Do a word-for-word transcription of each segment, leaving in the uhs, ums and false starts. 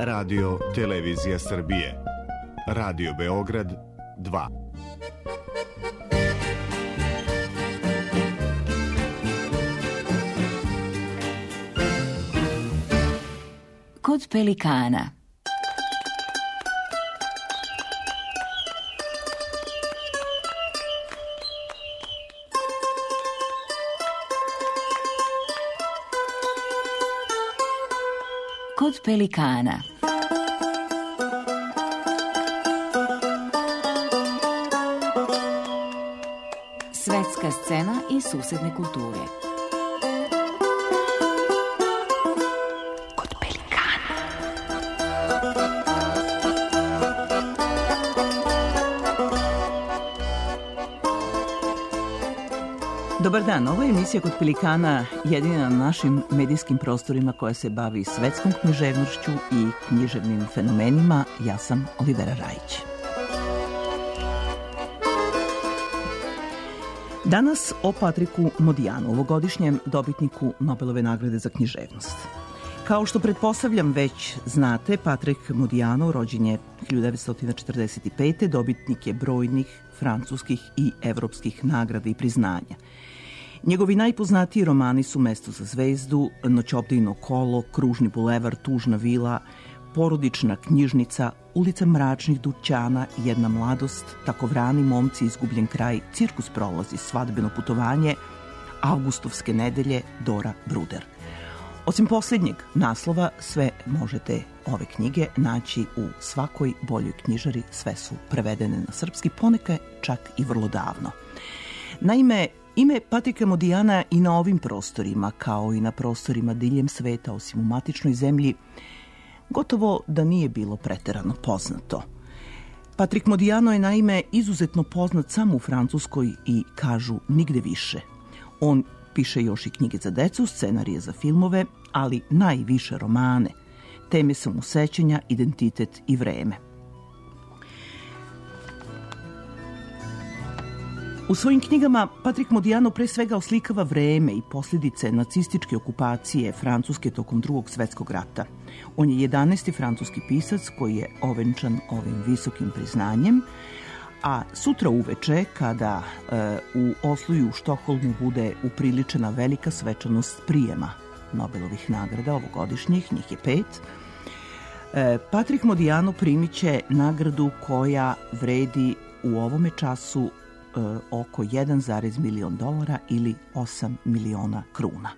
Radio Televizija Srbije, Radio Beograd dva. Kod pelikana. Kod pelikana. Svetska scena i susedne kulture. Kod pelikana. Dobar dan, ovo je emisija Kod pelikana, jedina na našim medijskim prostorima koja se bavi svetskom književnošću i književnim fenomenima. Ja sam Olivera Rajić. Danas o Patriku Modijanu, ovogodišnjem dobitniku Nobelove nagrade za književnost. Kao što pretpostavljam već znate, Patrik Modijano rođen je hiljadu devetsto četrdeset pete. Dobitnik je brojnih francuskih i evropskih nagrada i priznanja. Njegovi najpoznatiji romani su Mesto za zvezdu, Noćobdejno kolo, Kružni bulevar, Tužna vila, Porodična knjižnica, Ulica mračnih dućana, Jedna mladost, Takovrani momci, Izgubljen kraj, Cirkus prolazi, Svadbeno putovanje, Avgustovske nedelje, Dora Bruder. Osim posljednjeg naslova, sve možete ove knjige naći u svakoj boljoj knjižari, sve su prevedene na srpski, ponekad čak i vrlo davno. Naime, ime Patrika Modijana i na ovim prostorima, kao i na prostorima diljem sveta, osim u matičnoj zemlji, gotovo da nije bilo preterano poznato. Patrik Modijano je naime izuzetno poznat samo u Francuskoj i kažu nigde više. On piše još i knjige za decu, scenarije za filmove, ali najviše romane. Teme su mu sećanja, identitet i vreme. U svojim knjigama Patrik Modijano pre svega oslikava vreme i posljedice nacističke okupacije Francuske tokom Drugog svjetskog rata. On je jedanaesti francuski pisac koji je ovenčan ovim visokim priznanjem, a sutra uveče, kada e, u Oslu i u Štokholmu bude upriličena velika svečanost prijema Nobelovih nagrada ovogodišnjih, njih je pet, e, Patrik Modijano primit će nagradu koja vredi u ovome času e, oko jedan zarez milion dolara ili osam miliona kruna.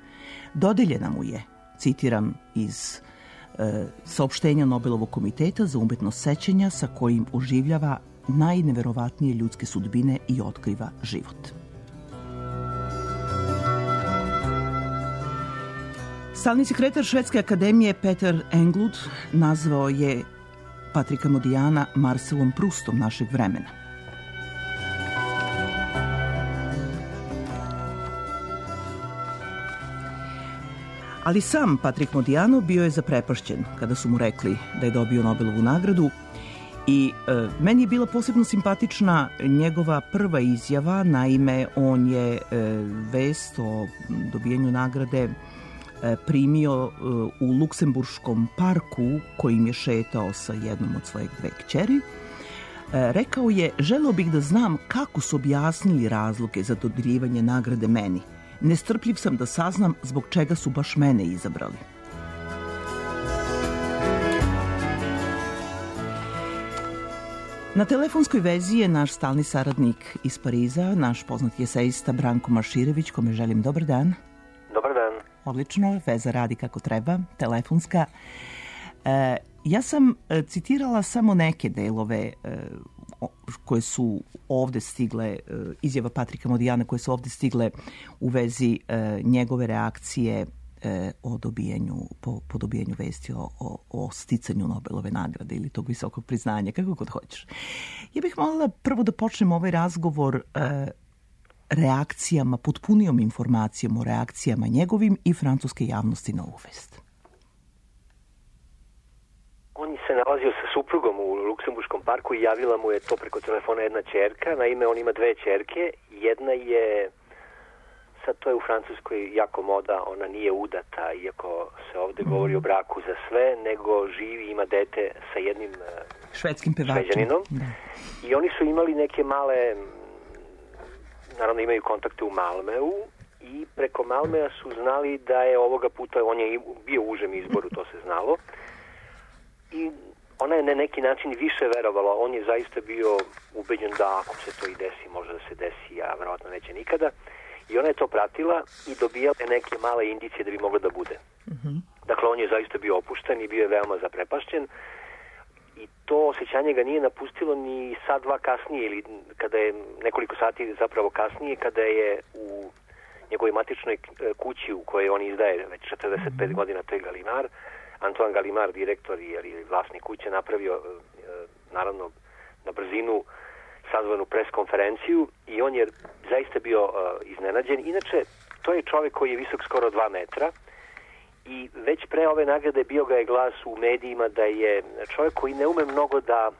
Dodeljena mu je, citiram iz e, saopštenja Nobelovog komiteta za umetnost sećanja, sa kojim oživljava najneverovatnije ljudske sudbine i otkriva život. Stalni sekretar Švedske akademije Peter Englund nazvao je Patrika Modijana Marcelom Prustom našeg vremena. Ali sam Patrik Modijano bio je zaprepašćen kada su mu rekli da je dobio Nobelovu nagradu. I e, meni je bila posebno simpatična njegova prva izjava. Naime, on je e, vest o dobijanju nagrade e, primio e, u Luksemburškom parku kojim je šetao sa jednom od svojeg dve kćeri. E, rekao je, želeo bih da znam kako su objasnili razloge za dodeljivanje nagrade meni. Nestrpljiv sam da saznam zbog čega su baš mene izabrali. Na telefonskoj vezi je naš stalni saradnik iz Pariza, naš poznati esejista Branko Marširević, kome želim dobar dan. Dobar dan. Odlično, veza radi kako treba, telefonska. E, ja sam e, citirala samo neke delove e, koje su ovde stigle, e, izjava Patrika Modijana koje su ovde stigle u vezi e, njegove reakcije o dobijanju, po, po dobijanju vesti o, o, o sticanju Nobelove nagrade ili tog visokog priznanja, kako god hoćeš. Ja bih molila prvo da počnem ovaj razgovor e, reakcijama, potpunijom informacijom o reakcijama njegovim i francuske javnosti na ovu vest. On se nalazio sa suprugom u Luksemburškom parku i javila mu je to preko telefona jedna ćerka. Naime, on ima dve ćerke. Jedna je sad to je u Francuskoj jako moda, ona nije udata, iako se ovde govori o braku za sve, nego živi, ima dete sa jednim švedskim pevačem. Šveđaninom. Da. I oni su imali neke male, naravno imaju kontakte u Malmeu, i preko Malmea su znali da je ovoga puta, on je bio u užem izboru, to se znalo. I ona je na neki način više verovala, on je zaista bio ubeđen da ako se to i desi, može da se desi, a verovatno neće nikada. I ona je to pratila i dobijala neke male indicije da bi moglo da bude. Mm-hmm. Dakle, on je zaista bio opušten i bio je veoma zaprepašćen. I to osjećanje ga nije napustilo ni sat, dva kasnije, ili kada je nekoliko sati zapravo kasnije, kada je u njegovoj matičnoj kući u kojoj on izdaje već četrdeset pet mm-hmm. godina, to je Galimar, Antoine Galimar, direktor ili vlasnik kuće, napravio naravno na brzinu sazvanu pres konferenciju i on je zaista bio uh, iznenađen. Inače, to je čovjek koji je visok skoro dva metra i već pre ove nagrade bio ga je glas u medijima da je čovjek koji ne ume mnogo da,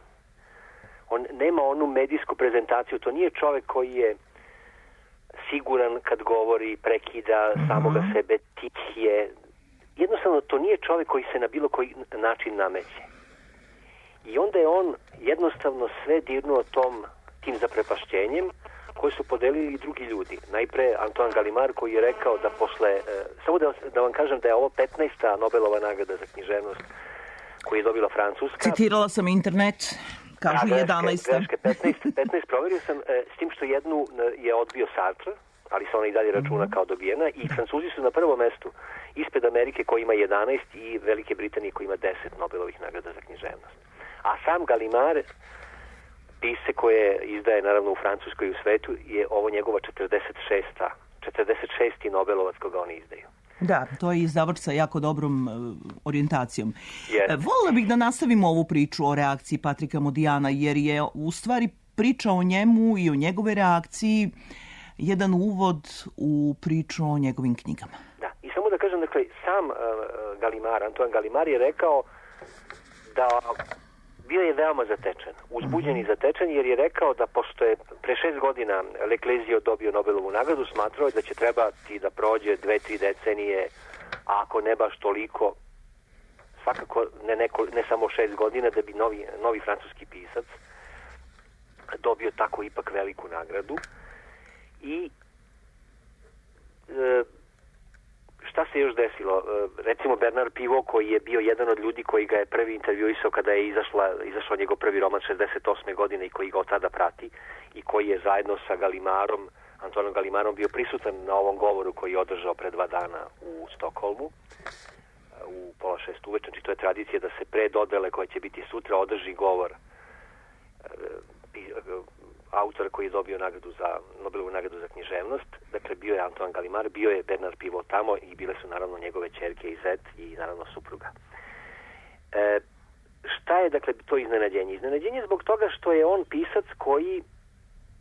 on nema onu medijsku prezentaciju, to nije čovjek koji je siguran kad govori, prekida mm-hmm. samoga sebe, tih je. Jednostavno, to nije čovjek koji se na bilo koji način nameće. I onda je on jednostavno sve dirnuo tom, tim zaprepašćenjem koje su podelili i drugi ljudi. Najpre Antoine Galimar koji je rekao da posle, e, samo da, da vam kažem da je ovo petnaesta Nobelova nagrada za književnost koju je dobila Francuska. Citirala sam internet, kažu da, jedanaesta. Greške, petnaest, petnaest proverio sam, e, s tim što jednu je odbio Sartre, ali se ona i dalje računa kao dobijena, i Francuzi su na prvom mestu ispred Amerike koji ima jedanaest i Velike Britanije koji ima deset Nobelovih nagrada za književnost. A sam Galimar, pisce koje izdaje naravno u Francuskoj i u svetu, je ovo njegova četrdeset šesta četrdeset šesti Nobelovac koga oni izdaju. Da, to je izdavač sa jako dobrom uh, orijentacijom. Yes. Volila bih da nastavimo ovu priču o reakciji Patrika Modijana, jer je u stvari priča o njemu i o njegove reakciji jedan uvod u priču o njegovim knjigama. Da, i samo da kažem, dakle, sam uh, Galimar, Antoine Galimar je rekao da bio je veoma zatečen, uzbuđen i zatečen, jer je rekao da pošto je pre šest godina Leclésio dobio Nobelovu nagradu, smatrao je da će trebati da prođe dve, tri decenije, a ako ne baš toliko, svakako ne, neko, ne samo šest godina, da bi novi, novi francuski pisac dobio tako ipak veliku nagradu. I e, šta se još desilo? E, recimo Bernard Pivot, koji je bio jedan od ljudi koji ga je prvi intervjuisao kada je izašla, izašao njegov prvi roman šezdeset osme godine i koji ga od tada prati i koji je zajedno sa Galimarom, Antoinom Galimarom, bio prisutan na ovom govoru koji je održao pre dva dana u Stokholmu u pola šest uveče. Znači to je tradicija da se pre dodele koja će biti sutra održi govor autora koji je dobio nagradu za Nobelovu nagradu za književnost. Dakle, bio je Antoine Galimar, bio je Bernard Pivot tamo i bile su naravno njegove ćerke i zet i naravno supruga. E, šta je dakle to iznenađenje? Iznenađenje zbog toga što je on pisac koji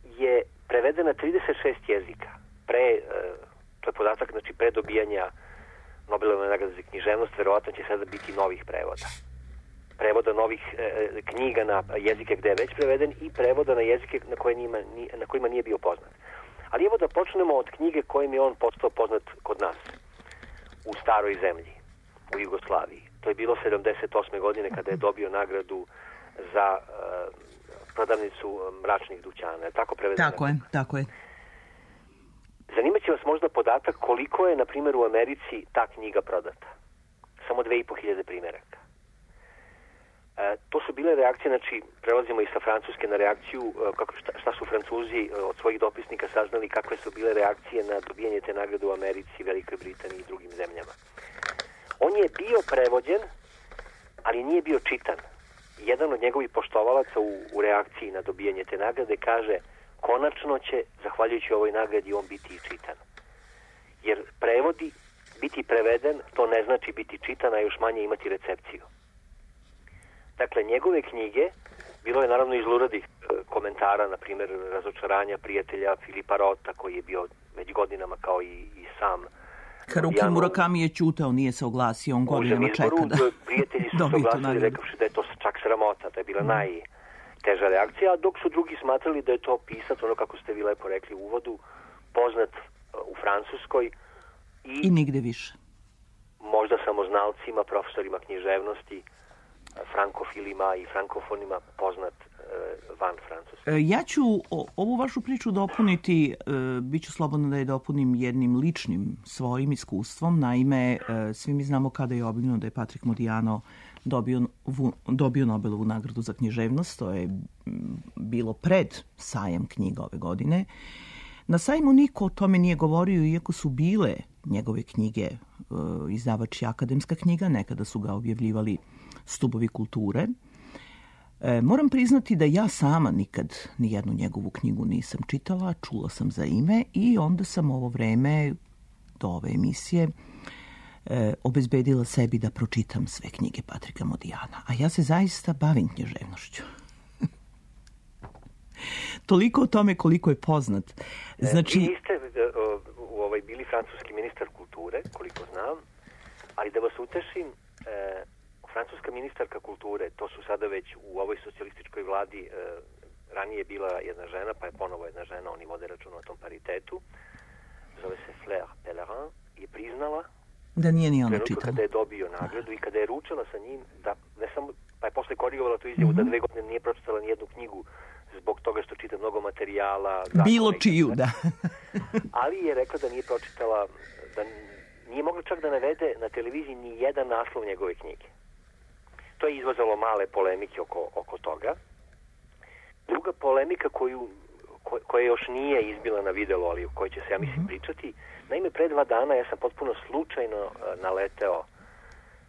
je preveden na trideset šest jezika. Pre, e, to je podatak, znači pre dobijanja Nobelove nagrade za književnost, verovatno će sada biti novih prevoda. Prevoda novih e, knjiga na jezike gde je već preveden i prevoda na jezike na, koje nima, na kojima nije bio poznat. Ali evo da počnemo od knjige kojim je on postao poznat kod nas, u staroj zemlji, u Jugoslaviji. To je bilo sedamdeset osme godine kada je dobio nagradu za e, prodavnicu mračnih dućana. Tako prevedeno? Tako je, tako je. Zanimaće vas možda podatak koliko je, na primjer, u Americi ta knjiga prodata. Samo dve i po hiljade primjeraka. E, to su bile reakcije, znači prelazimo i sa Francuske na reakciju, e, kako, šta, šta su Francuzi e, od svojih dopisnika saznali, kakve su bile reakcije na dobijanje te nagrade u Americi, Velikoj Britaniji i drugim zemljama. On je bio prevođen, ali nije bio čitan. Jedan od njegovih poštovalaca u, u reakciji na dobijanje te nagrade kaže: konačno će, zahvaljujući ovoj nagradi, on biti i čitan. Jer prevodi, biti preveden, to ne znači biti čitan, a još manje imati recepciju. Dakle, njegove knjige, bilo je naravno iz luradih e, komentara, na primjer Razočaranja prijatelja Filipa Rota, koji je bio već godinama kao i, i sam. Haruki Murakami je ćutao, nije se oglasio, on godinama čeka da prijatelji su se oglasili rekavši da je to čak sramota, da je bila mm. najteža reakcija, dok su drugi smatrali da je to pisac, ono kako ste vi lepo rekli u uvodu, poznat u Francuskoj i, I nigde više. Možda samoznalcima, profesorima književnosti, frankofilima i frankofonima poznat e, van Francuske. Ja ću o, ovu vašu priču dopuniti, e, bit ću slobodna da je dopunim jednim ličnim svojim iskustvom. Naime, e, svi mi znamo kada je objavljeno da je Patrick Modiano dobio, vu, dobio Nobelovu nagradu za književnost. To je bilo pred sajam knjiga ove godine. Na sajmu niko o tome nije govorio, iako su bile njegove knjige e, izdavač je Akademska knjiga, nekada su ga objavljivali Stubovi kulture. E, moram priznati da ja sama nikad nijednu njegovu knjigu nisam čitala, čula sam za ime i onda sam ovo vreme do ove emisije e, obezbedila sebi da pročitam sve knjige Patrika Modiana. A ja se zaista bavim književnošću. Toliko o tome koliko je poznat. Znači... Vi niste uh, ovaj, bili francuski ministar kulture, koliko znam, ali da vas utešim, uh, francuska ministarka kulture, to su sada već u ovoj socijalističkoj vladi, uh, ranije je bila jedna žena, pa je ponovo jedna žena, oni vode račun o tom paritetu, zove se Fleur Pellerin, je priznala da nije ni ona čitala. Kada je dobio nagradu i kada je ručala sa njim, da ne samo, pa je posle korigovala tu izjavu mm-hmm. da dve godine nije pročitala nijednu knjigu zbog toga što čita mnogo materijala. Bilo čiju, da. Ali je rekla da nije pročitala, da nije mogla čak da navede na televiziji ni jedan naslov njegove knjige. To je izvazalo male polemike oko, oko toga. Druga polemika koju, ko, koja još nije izbila na videlo, ali o kojoj će se, ja mislim, pričati. Naime, pre dva dana ja sam potpuno slučajno naleteo,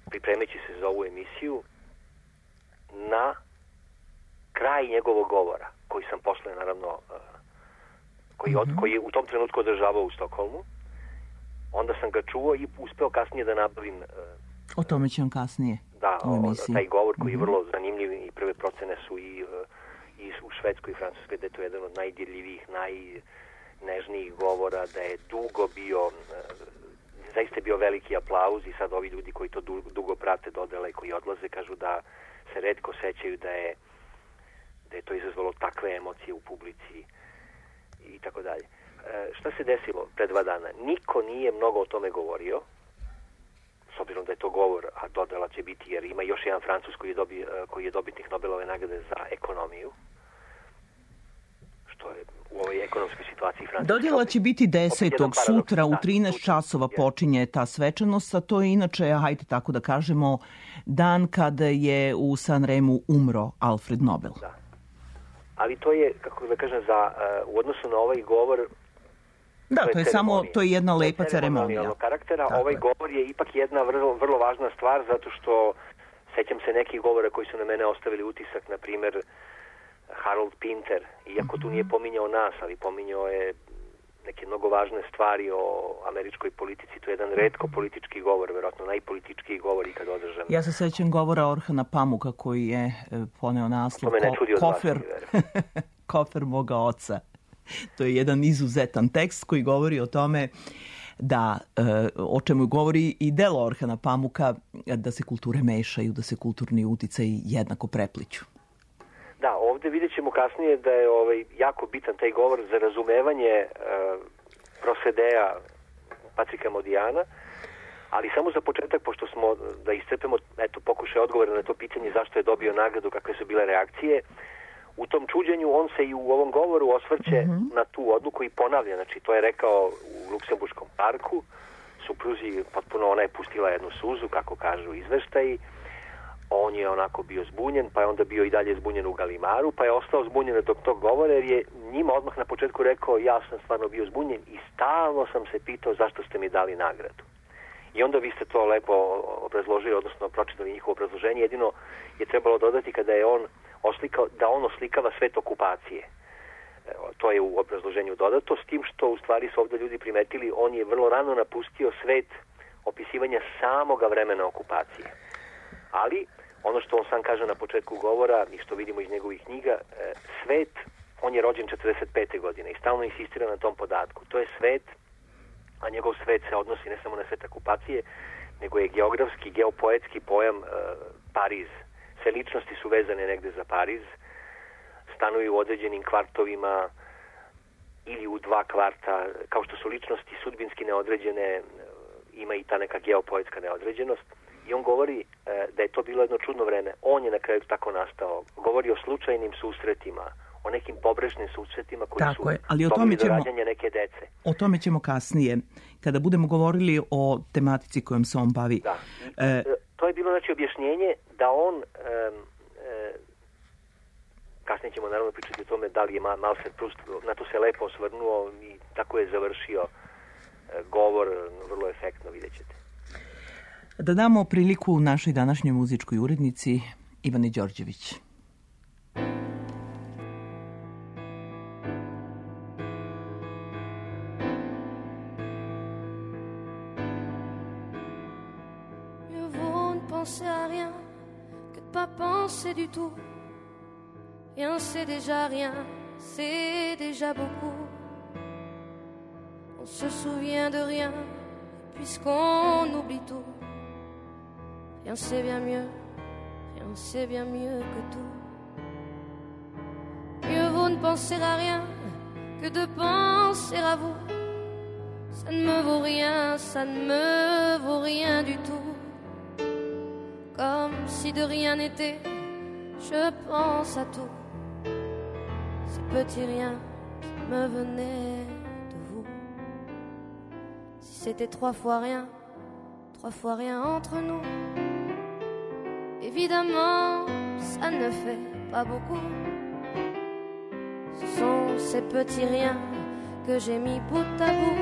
pripremeći se za ovu emisiju, na kraj njegovog govora, koji sam posle, naravno, koji, od, koji je u tom trenutku održavao u Stokholmu. Onda sam ga čuo i uspeo kasnije da nabavim... O tome ću vam kasnije da, u emisiji. Taj govor koji je vrlo zanimljiv i prve procene su i, i u Švedskoj i Francuskoj, da je to jedan od najdirljivijih, najnežnijih govora, da je dugo bio... Zaista je bio veliki aplauz i sad ovi ljudi koji to dugo, dugo prate dodele i koji odlaze kažu da se retko sećaju da je da je to izazvalo takve emocije u publici i tako dalje. E, šta se desilo pre dva dana? Niko nije mnogo o tome govorio, s obzirom da je to govor, a dodela će biti, jer ima još jedan Francuz koji je, dobi, koji je dobitnik Nobelove nagrade za ekonomiju, što je u ovoj ekonomskoj situaciji Francuske. Dodjela će biti desetog sutra u trinaest časova počinje ta svečanost, a to je inače, hajde tako da kažemo, dan kada je u Sanremu umro Alfred Nobel. Da. Ali to je, kako da kažem, za, uh, u odnosu na ovaj govor... Da, to je, to je samo, to je jedna lepa ceremonija. Karaktera. Tako ovaj je. Govor je ipak jedna vrlo, vrlo važna stvar, zato što sećam se nekih govora koji su na mene ostavili utisak, na primjer Harold Pinter, iako tu nije pominjao nas, ali pominjao je neke mnogo važne stvari o američkoj politici. To je jedan retko politički govor, verovatno najpolitičkiji govor ikad održan. Ja se sećam govora Orhana Pamuka koji je poneo naslov ko- kofer, kofer moga oca. To je jedan izuzetan tekst koji govori o tome da, o čemu govori i delo Orhana Pamuka, da se kulture mešaju, da se kulturni uticaji jednako prepliću. Da, ovde vidjet ćemo kasnije da je ovaj, jako bitan taj govor za razumevanje e, prosedeja Patrika Modiana, ali samo za početak, pošto smo da iscrpemo eto, pokušaj odgovora na to pitanje zašto je dobio nagradu, kakve su bile reakcije. U tom čuđenju on se i u ovom govoru osvrće mm-hmm. na tu odluku i ponavlja. Znači, to je rekao u Luksemburškom parku, supruzi potpuno, ona je pustila jednu suzu, kako kažu izveštaji. On je onako bio zbunjen, pa je onda bio i dalje zbunjen u Galimaru, pa je ostao zbunjen dok tog govora, jer je njima odmah na početku rekao ja sam stvarno bio zbunjen i stalno sam se pitao zašto ste mi dali nagradu. I onda vi ste to lepo obrazložili, odnosno pročitali njihovo obrazloženje. Jedino je trebalo dodati kada je on oslikao, da on oslikava svet okupacije. To je u obrazloženju dodato, s tim što u stvari su ovdje ljudi primetili, on je vrlo rano napustio svet opisivanja samoga vremena okupacije. Ali, ono što on sam kaže na početku govora i što vidimo iz njegovih knjiga, svet, on je rođen četrdeset pete godine i stalno insistira na tom podatku. To je svet, a njegov svet se odnosi ne samo na svet okupacije, nego je geografski, geopoetski pojam e, Pariz. Sve ličnosti su vezane negde za Pariz, stanuju u određenim kvartovima, ili u dva kvarta, kao što su ličnosti sudbinski neodređene, ima i ta neka geopoetska neodređenost. I on govori e, da je to bilo jedno čudno vreme. On je na kraju tako nastao. Govori o slučajnim susretima, o nekim pobrešnim susretima koji tako su je, ali o tome ćemo, do rađanja neke dece. O tome ćemo kasnije, kada budemo govorili o tematici kojom se on bavi. Da. E, to je bilo znači objašnjenje da on, e, e, kasnije ćemo naravno pričati o tome da li je Marcel Proust, na to se lepo osvrnuo i tako je završio e, govor, vrlo efektno, vidjet ćete. Da damo priliku našoj današnjoj muzičkoj urednici Ivani Đorđević. Mieux vaut ne penser à rien que de pas penser du tout. Rien c'est déjà rien, c'est déjà beaucoup. On se souvient de rien puisqu'on oublie tout. Rien c'est bien mieux, rien c'est bien mieux que tout. Mieux vaut ne penser à rien que de penser à vous. Ça ne me vaut rien, ça ne me vaut rien du tout. Comme si de rien n'était, je pense à tout. Ces petits riens qui me venaient de vous. Si c'était trois fois rien, trois fois rien entre nous. Évidemment, ça ne fait pas beaucoup. Ce sont ces petits riens que j'ai mis bout à bout.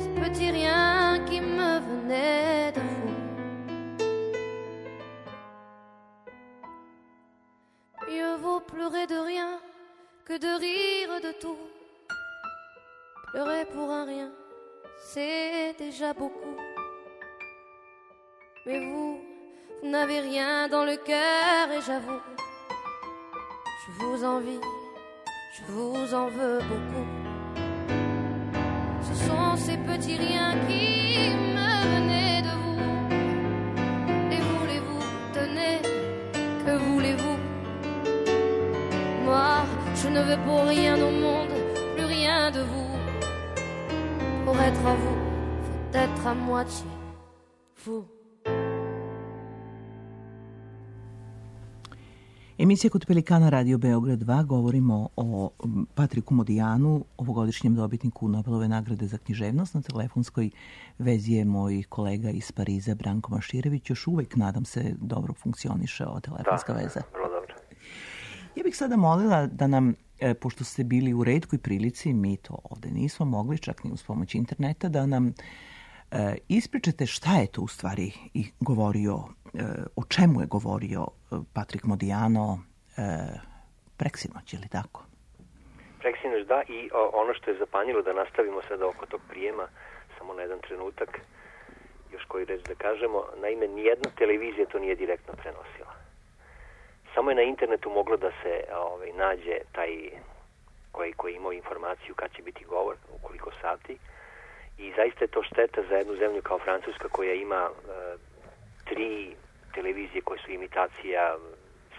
Ces petits riens qui me venaient de vous. Mieux vaut pleurer de rien que de rire de tout. Pleurer pour un rien, c'est déjà beaucoup. Mais vous, vous n'avez rien dans le cœur et j'avoue, je vous envie, je vous en veux beaucoup. Ce sont ces petits riens qui me venaient de vous. Et voulez-vous, tenez, que voulez-vous? Moi, je ne veux pour rien au monde, plus rien de vous. Pour être à vous, faut être à moitié fou. Emisija Kod Pelikana Radio Beograd dva, govorimo o Patriku Modijanu, ovogodišnjem dobitniku Nobelove nagrade za književnost. Na telefonskoj vezi je moj kolega iz Pariza, Branko Maširević. Još uvek, nadam se, dobro funkcioniše ova telefonska da, veza. Vrlo dobro. Ja bih sada molila da nam, pošto ste bili u retkoj prilici, mi to ovde nismo mogli, čak ni uz pomoć interneta, da nam e, ispričate šta je to u stvari i govorio, e, o čemu je govorio Patrik Modijano e, preksinoć, je li tako? Preksinoć, da, i o, ono što je zapanjilo, da nastavimo sada oko tog prijema, samo na jedan trenutak, još koji reč da kažemo, naime, nijedna televizija to nije direktno prenosila. Samo je na internetu moglo da se ovaj, nađe taj koji, koji imao informaciju kad će biti govor, u koliko sati. I zaista je to šteta za jednu zemlju kao Francuska koja ima e, tri televizije koje su imitacija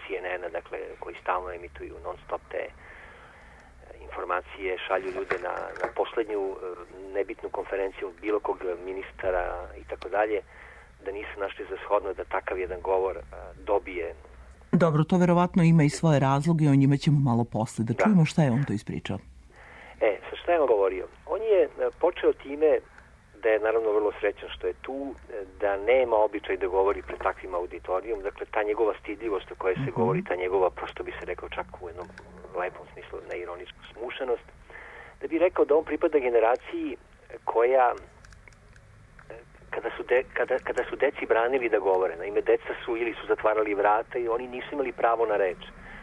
C N N-a, dakle, koji stalno emituju non stop te e, informacije, šalju ljude na, na poslednju e, nebitnu konferenciju bilo kog ministara i tako dalje, da nisu našli za shodno da takav jedan govor e, dobije. Dobro, to verovatno ima i svoje razloge, o njima ćemo malo posle. Da čujemo šta je on to ispričao. E, sa šta je on govorio? On je počeo time da je naravno vrlo srećan što je tu, da nema običaj da govori pred takvim auditorijom. Dakle, ta njegova stidljivost o kojoj se mm-hmm. govori, ta njegova, prosto bi se rekao čak u jednom lepom smislu, neironičku smušenost, da bi rekao da on pripada generaciji koja Kada su, de, kada, kada su deci branili da govore, naime, deca su ili su zatvarali vrata i oni nisu imali pravo na reč.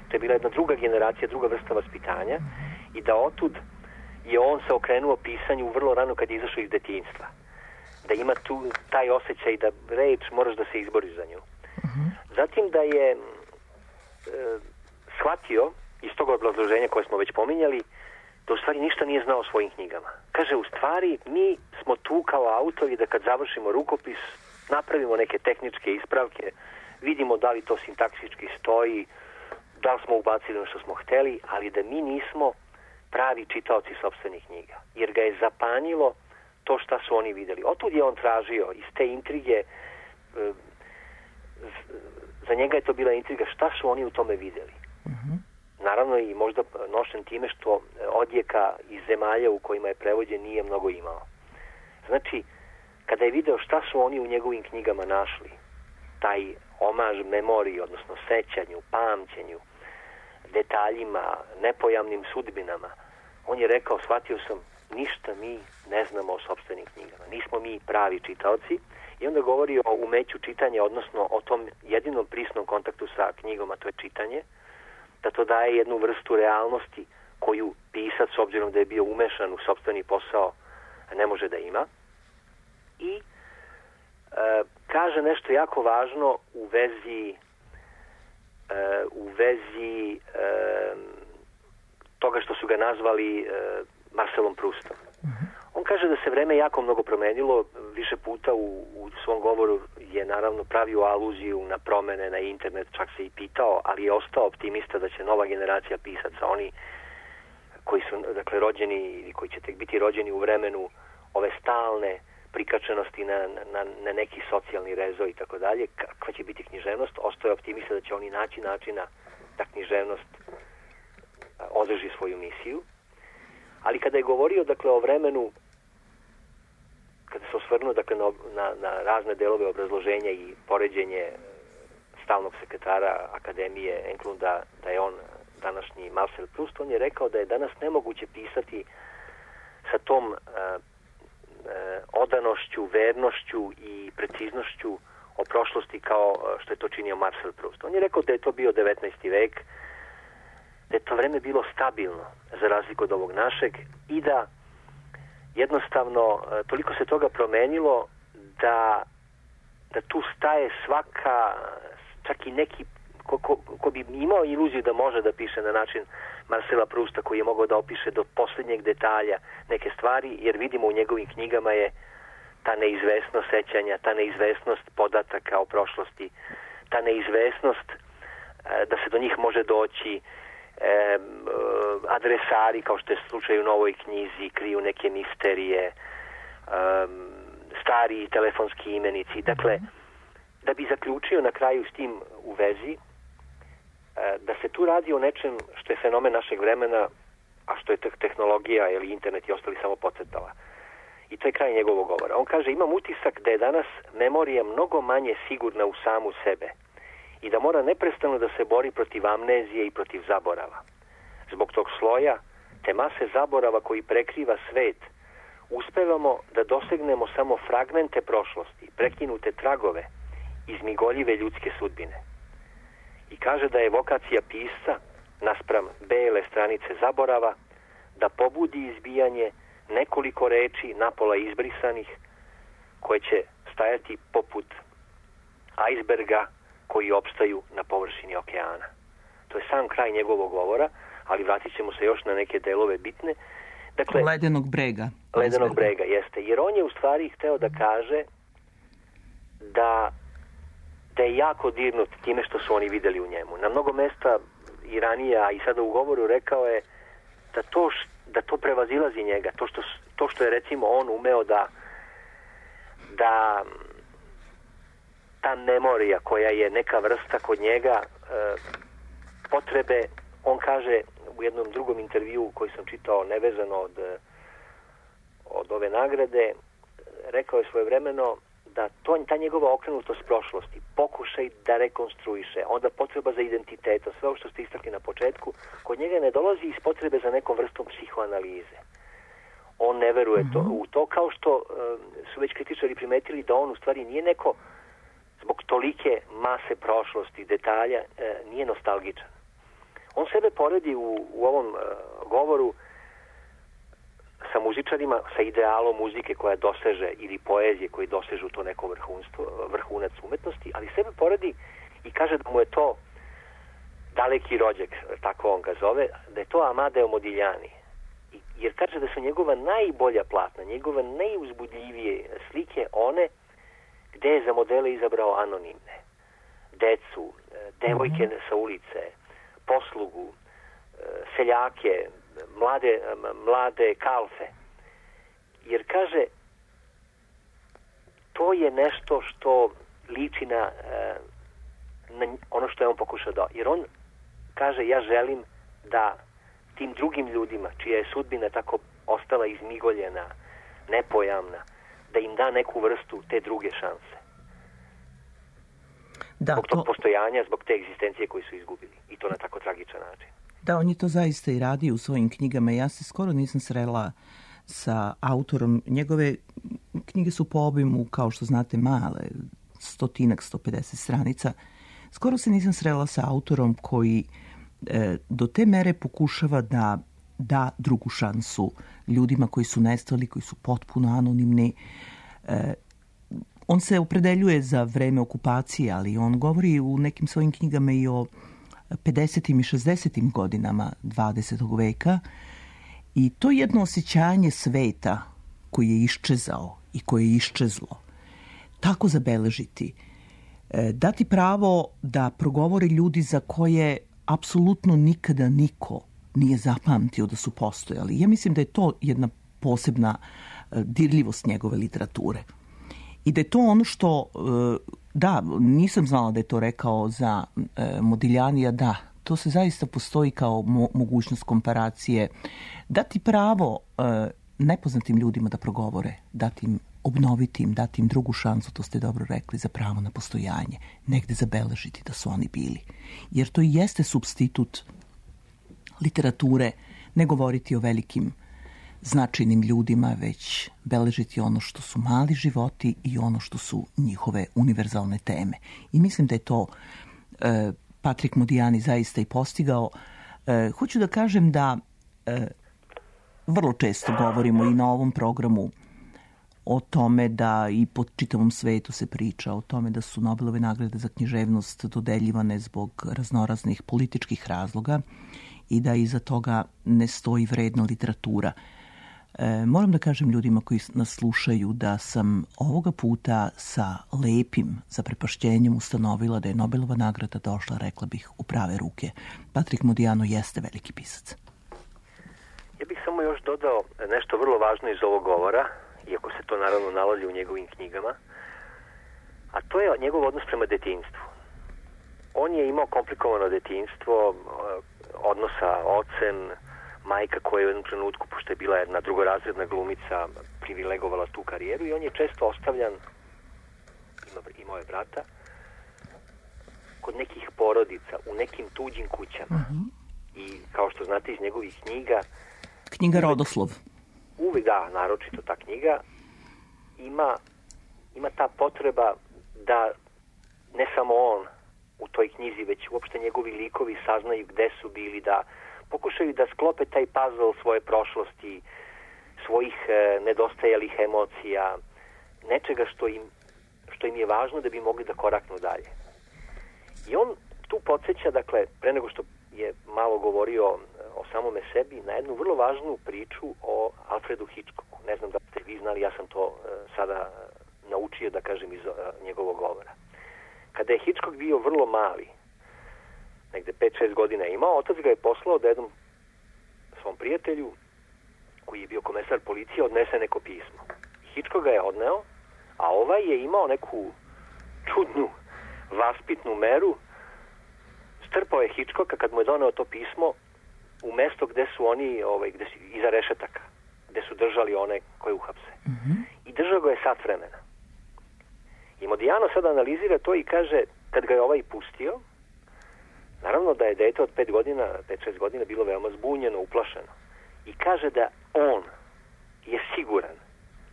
To je bila jedna druga generacija, druga vrsta vaspitanja i da otud je on se okrenuo pisanju vrlo rano kad je izašao iz detinjstva. Da ima tu taj osjećaj da reč moraš da se izboriš za nju. Uh-huh. Zatim da je e, shvatio iz tog obrazloženja koje smo već pominjali, da u stvari ništa nije znao o svojim knjigama. Kaže, u stvari, mi smo tu kao autori da kad završimo rukopis, napravimo neke tehničke ispravke, vidimo da li to sintaksički stoji, da li smo ubacili ono što smo hteli, ali da mi nismo pravi čitaoci sopstvenih knjiga, jer ga je zapanjilo to šta su oni videli. Otud je on tražio iz te intrige, za njega je to bila intriga šta su oni u tome videli. Uh-huh. Naravno i možda nošen time što odjeka iz zemalja u kojima je prevođen nije mnogo imao. Znači, kada je video šta su oni u njegovim knjigama našli, taj omaž memoriji, odnosno sećanju, pamćenju, detaljima, nepojamnim sudbinama, on je rekao, shvatio sam, ništa mi ne znamo o sopstvenim knjigama. Nismo mi pravi čitaoci. I onda govori o umeću čitanja, odnosno o tom jedinom prisnom kontaktu sa knjigom, a to je čitanje, da to daje jednu vrstu realnosti koju pisac, s obzirom da je bio umešan u sopstveni posao, ne može da ima. I e, kaže nešto jako važno u vezi e, u vezi e, toga što su ga nazvali e, Marcelom Proustom. On kaže da se vreme jako mnogo promenilo, više puta u, u svom govoru je naravno pravio aluziju na promene, na internet, čak se i pitao, ali je ostao optimista da će nova generacija pisaca, oni koji su dakle rođeni ili koji će tek biti rođeni u vremenu ove stalne prikačenosti na, na, na neki socijalni rezo i tako dalje, kakva će biti književnost, ostao je optimista da će oni naći načina da književnost održi svoju misiju. Ali kada je govorio dakle o vremenu, kada se osvrnuo dakle na, na, na razne delove obrazloženja i poređenje stalnog sekretara Akademije Englunda da je on današnji Marcel Proust, on je rekao da je danas nemoguće pisati sa tom uh, uh, odanošću, vernošću i preciznošću o prošlosti kao što je to činio Marcel Proust. On je rekao da je to bio devetnaesti vek, da je to vreme bilo stabilno za razliku od ovog našeg i da jednostavno toliko se toga promenilo da, da tu staje svaka, čak i neki ko, ko, ko bi imao iluziju da može da piše na način Marcela Prousta, koji je mogao da opiše do posljednjeg detalja neke stvari, jer vidimo u njegovim knjigama je ta neizvesnost sećanja, ta neizvesnost podataka o prošlosti, ta neizvesnost da se do njih može doći. E, adresari, kao što je slučaj u novoj knjizi, kriju neke misterije, um, stari telefonski imenici. Dakle, da bi zaključio na kraju s tim u vezi, da se tu radi o nečem što je fenomen našeg vremena, a što je tehnologija ili internet i ostali samo podcrtala. I to je kraj njegovog govora. On kaže, imam utisak da je danas memorija mnogo manje sigurna u samu sebe i da mora neprestano da se bori protiv amnezije i protiv zaborava. Zbog tog sloja, te mase zaborava koji prekriva svet, uspevamo da dosegnemo samo fragmente prošlosti, prekinute tragove, izmigoljive ljudske sudbine. I kaže da je vokacija pisca, naspram bele stranice zaborava, da pobudi izbijanje nekoliko reči napola izbrisanih, koje će stajati poput ajsberga koji opstaju na površini okeana. To je sam kraj njegovog govora, ali vratit ćemo se još na neke delove bitne. Dakle, ledenog brega. Ledenog brega, jeste. Jer on je u stvari hteo da kaže da, da je jako dirnut time što su oni videli u njemu. Na mnogo mesta i ranije, a i sada u govoru rekao je da to, da to prevazilazi njega. To što, to što je recimo on umeo da da ta memorija koja je neka vrsta kod njega e, potrebe, on kaže u jednom drugom intervjuu koji sam čitao nevezano od, od ove nagrade, rekao je svojevremeno da to, ta njegova okrenutost prošlosti, pokušaj da rekonstruiše, onda potreba za identitetom, sve ovo što ste istakli na početku, kod njega ne dolazi iz potrebe za nekom vrstom psihoanalize. On ne veruje to, u to, kao što e, su već kritičari primetili da on u stvari nije neko zbog tolike mase prošlosti, detalja, e, nije nostalgičan. On sebe poredi u, u ovom e, govoru sa muzičarima, sa idealom muzike koja doseže, ili poezije koji dosežu to neko vrhunstvo, vrhunac umetnosti, ali sebe poredi i kaže da mu je to daleki rođak, tako on ga zove, da je to Amadeo Modigliani. I, jer kaže da su njegova najbolja platna, njegove najuzbudljivije slike one gde je za modele izabrao anonimne, decu, devojke sa ulice, poslugu, seljake, mlade, mlade kalfe. Jer kaže, to je nešto što liči na, na ono što je on pokušao da... Jer on kaže, ja želim da tim drugim ljudima, čija je sudbina tako ostala izmigoljena, nepojamna, da im da neku vrstu te druge šanse. Da, zbog tog to... postojanja, zbog te egzistencije koju su izgubili. I to na tako tragičan način. Da, on je to zaista i radi u svojim knjigama. Ja se skoro nisam srela sa autorom. Njegove knjige su po obimu, kao što znate, male, stotinak, sto pedeset stranica. Skoro se nisam srela sa autorom koji e, do te mere pokušava da da drugu šansu ljudima koji su nestali, koji su potpuno anonimni. E, on se opredeljuje za vreme okupacije, ali on govori u nekim svojim knjigama i o pedesetim i šezdesetim godinama dvadesetog veka i to jedno osjećanje sveta koji je iščezao i koje je iščezlo, tako zabeležiti, dati pravo da progovore ljudi za koje apsolutno nikada niko nije zapamtio da su postojali. Ja mislim da je to jedna posebna dirljivost njegove literature. I da je to ono što, da, nisam znala da je to rekao za Modiglianija, da, to se zaista postoji kao mo- mogućnost komparacije. Dati pravo nepoznatim ljudima da progovore, dati im, obnoviti im, dati im drugu šansu, to ste dobro rekli, za pravo na postojanje, negde zabeležiti da su oni bili. Jer to i jeste supstitut literature, ne govoriti o velikim značajnim ljudima, već beležiti ono što su mali životi i ono što su njihove univerzalne teme. I mislim da je to e, Patrik Modiani zaista i postigao. E, hoću da kažem da e, vrlo često govorimo i na ovom programu o tome da i po čitavom svetu se priča o tome da su Nobelove nagrade za književnost dodeljivane zbog raznoraznih političkih razloga i da iza toga ne stoji vredna literatura. E, moram da kažem ljudima koji nas slušaju da sam ovoga puta sa lepim zaprepašćenjem ustanovila da je Nobelova nagrada došla, rekla bih, u prave ruke. Patrik Modiano jeste veliki pisac. Ja bih samo još dodao nešto vrlo važno iz ovog govora, iako se to naravno nalazi u njegovim knjigama, a to je njegov odnos prema detinjstvu. On je imao komplikovano detinjstvo, odnos sa ocem, majka koja je u jednom trenutku, pošto je bila jedna drugorazredna glumica, privilegovala tu karijeru i on je često ostavljan, ima, imao je brata, kod nekih porodica, u nekim tuđim kućama. Uh-huh. I kao što znate iz njegovih knjiga... Knjiga Rodoslov. Uvijek, da, naročito ta knjiga, ima, ima ta potreba da ne samo on u toj knjizi, već uopšte njegovi likovi saznaju gde su bili, da pokušaju da sklope taj puzzle svoje prošlosti, svojih e, nedostajalih emocija, nečega što im, što im je važno da bi mogli da koraknu dalje. I on tu podsjeća, dakle, pre nego što je malo govorio o samome sebi, na jednu vrlo važnu priču o Alfredu Hitchcocku. Ne znam da ste vi znali, ja sam to e, sada naučio da kažem iz e, njegovog govora. Kada je Hitchcock bio vrlo mali, negde pet šest godina imao, otac ga je poslao da jednom svom prijatelju, koji je bio komesar policije, odnese neko pismo. Hitchcock ga je odneo, a ovaj je imao neku čudnu vaspitnu meru, strpao je Hitchcocka kad mu je doneo to pismo u mesto gde su oni, ovaj, gde su, iza rešetaka, gde su držali one koje uhapse. Mm-hmm. I držao ga je sat vremena. I Modiano sada analizira to i kaže, kad ga je ovaj pustio, naravno da je dete od pet godina, pet šest godina bilo veoma zbunjeno, uplašeno. I kaže da on je siguran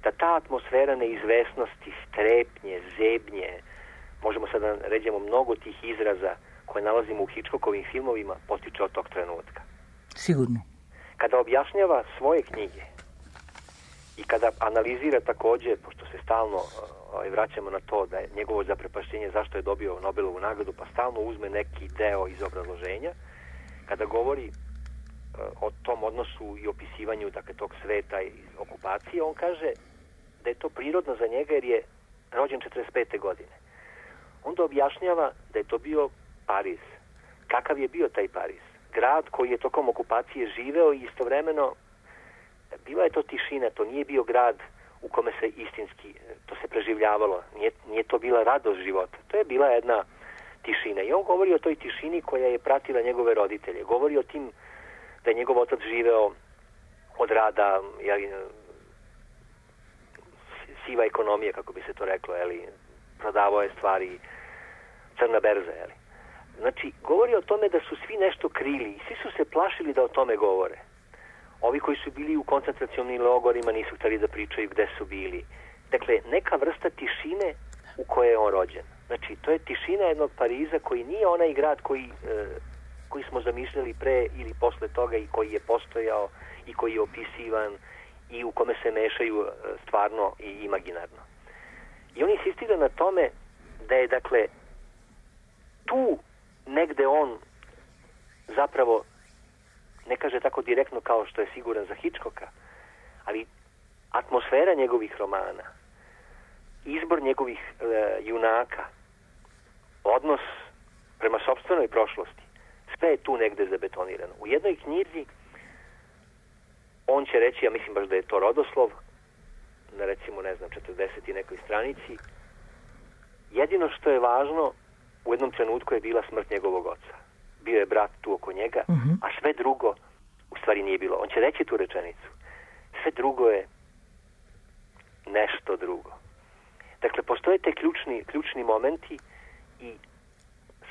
da ta atmosfera neizvesnosti, strepnje, zebnje, možemo sada da ređemo mnogo tih izraza koje nalazimo u Hitchcockovim filmovima, potiče od tog trenutka. Sigurno. Kada objašnjava svoje knjige i kada analizira takođe, pošto se stalno ovaj, vraćamo na to da je njegovo zaprepašćenje zašto je dobio Nobelovu nagradu, pa stalno uzme neki deo iz obrazloženja, kada govori uh, o tom odnosu i opisivanju, dakle, tog sveta i okupacije, on kaže da je to prirodno za njega jer je rođen četrdeset pete godine. Onda objašnjava da je to bio Pariz. Kakav je bio taj Pariz? grad koji je tokom okupacije živeo i istovremeno bila je to tišina, to nije bio grad u kome se istinski, to se preživljavalo, nije, nije to bila radost života, to je bila jedna tišina. I on govori o toj tišini koja je pratila njegove roditelje, govori o tim da je njegov otac živeo od rada, jeli, siva ekonomija, kako bi se to reklo, jeli, prodavao je stvari, crna berza, jeli. Znači, govori o tome da su svi nešto krili i svi su se plašili da o tome govore. Ovi koji su bili u koncentracionim logorima nisu htjeli da pričaju gde su bili. Dakle, neka vrsta tišine u kojoj je on rođen. Znači, to je tišina jednog Pariza koji nije onaj grad koji, e, koji smo zamišljali pre ili posle toga i koji je postojao i koji je opisivan i u kome se mešaju stvarno i imaginarno. I on insistira na tome da je, dakle, tu negde on zapravo, ne kaže tako direktno kao što je siguran za Hitchcocka, ali atmosfera njegovih romana, izbor njegovih e, junaka, odnos prema sopstvenoj prošlosti, sve je tu negde zabetonirano. U jednoj knjizi on će reći, ja mislim baš da je to rodoslov, na recimo, ne znam, četrdeset i nekoj stranici, jedino što je važno u jednom trenutku je bila smrt njegovog oca. Bio je brat tu oko njega, uh-huh. a sve drugo u stvari nije bilo. On će reći tu rečenicu. Sve drugo je nešto drugo. Dakle, postoje te ključni, ključni momenti i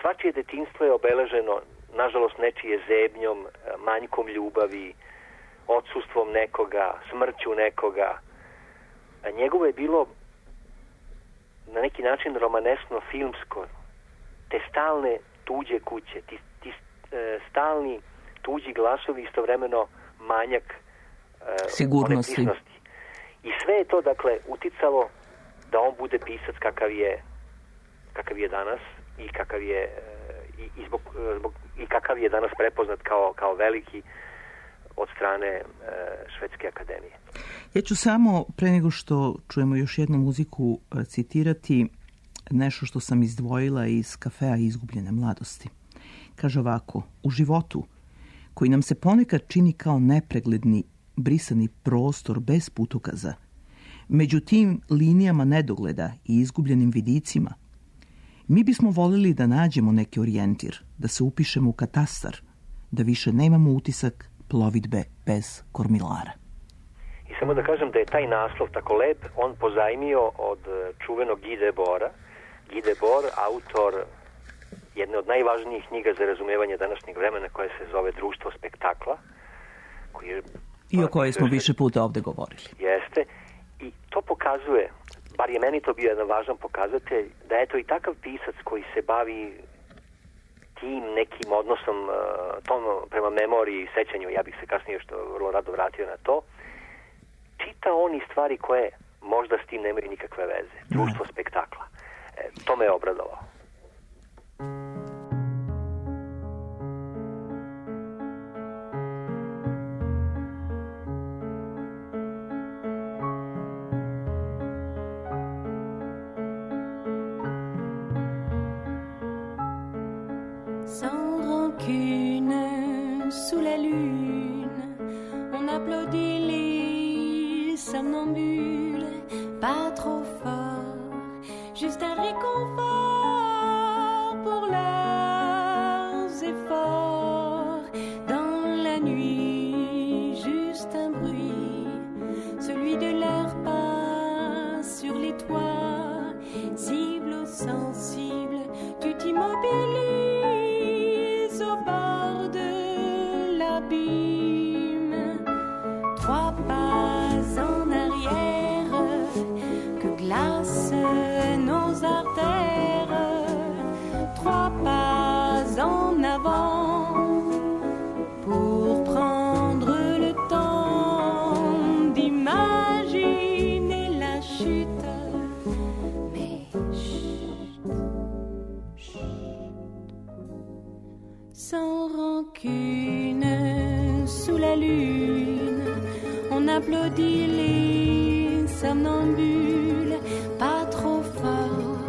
svačije detinjstvo je obeleženo, nažalost, nečije zebnjom, manjkom ljubavi, odsustvom nekoga, smrću nekoga. A njegovo je bilo na neki način romanesno, filmsko. Te stalne tuđe kuće, ti, ti e, stalni tuđi glasovi, istovremeno manjak e, sigurnosti. I sve je to, dakle, uticalo da on bude pisac kakav je, kakav je danas i kakav je e, i, i, zbog, zbog, i kakav je danas prepoznat kao, kao veliki od strane e, Švedske akademije. Ja ću samo, pre nego što čujemo još jednu muziku, citirati nešto što sam izdvojila iz Kafea izgubljene mladosti. Kaže ovako: u životu, koji nam se ponekad čini kao nepregledni, brisani prostor bez putokaza, među tim linijama nedogleda i izgubljenim vidicima, mi bismo volili da nađemo neki orijentir, da se upišemo u katastar, da više nemamo utisak plovidbe bez kormilara. I samo da kažem da je taj naslov tako lep, on pozajmio od čuvenog Guy Debora. Guy Debord, autor jedne od najvažnijih knjiga za razumevanje današnjeg vremena, koja se zove Društvo spektakla. Koji je, I o kojoj smo više puta ovde govorili. Jeste. I to pokazuje, bar je meni to bio jedan važan pokazatelj, da je to i takav pisac koji se bavi tim nekim odnosom tom prema memoriji i sećanju, ja bih se kasnije što vrlo rado vratio na to, čita on i stvari koje možda s tim nemaju nikakve veze. Društvo spektakla. E, to me je obradovalo. Sans rancune, sous la lune, on applaudit les somnambules, pas trop fort, juste un réconfort pour leurs efforts. Dans la nuit, juste un bruit, celui de leurs pas sur les toits, cible ou sensible, tu t'immobilises au bord de l'abîme. Trois pas en arrière que glacent nos artères, trois pas en avant pour prendre le temps d'imaginer la chute. Mais chut, chut, sans rancune, sous la lune, on applaudit les somnambules, pas trop fort,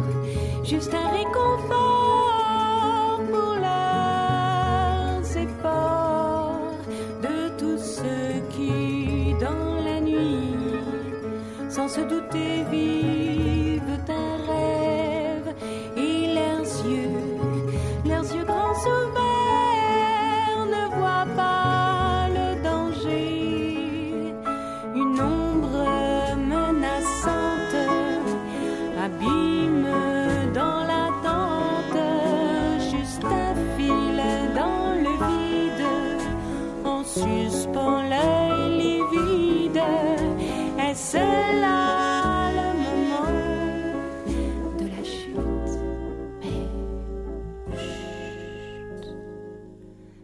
juste un réconfort pour leurs efforts. se douter vivent un rêve et leurs yeux, leurs yeux grands ouverts ne voient pas le danger. Une ombre menaçante abîme dans l'attente, juste un fil dans le vide, en suspend l'œil livide. Est-ce là le moment de la chute? Mais chut,